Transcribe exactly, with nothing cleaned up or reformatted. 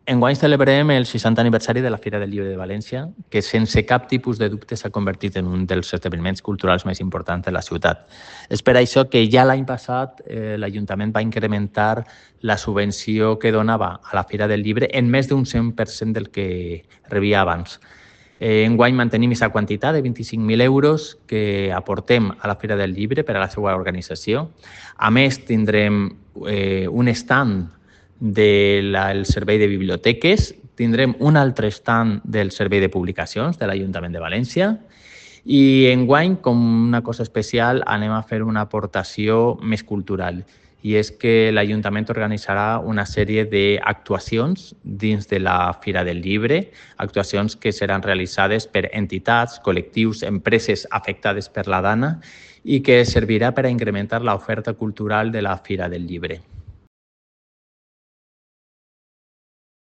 Enguany celebrem el seixantè aniversari de la Fira del Llibre de València, que sense cap tipus de dubte s'ha convertit en un dels esdeveniments culturals més importants de la ciutat. És per això que ja l'any passat eh, l'Ajuntament va incrementar la subvenció que donava a la Fira del Llibre en més d'un cent per cent del que rebia abans. Eh, enguany mantenim aquesta quantitat de vint-i-cinc mil euros que aportem a la Fira del Llibre per a la seva organització. A més, tindrem eh, un stand del servei de biblioteques, tindrem un altre stand del servei de publicacions de l'Ajuntament de València i enguany, com una cosa especial, anem a fer una aportació més cultural i és que l'Ajuntament organitzarà una sèrie d'actuacions dins de la Fira del Llibre, actuacions que seran realitzades per entitats, col·lectius, empreses afectades per la Dana i que servirà per a incrementar l'oferta cultural de la Fira del Llibre.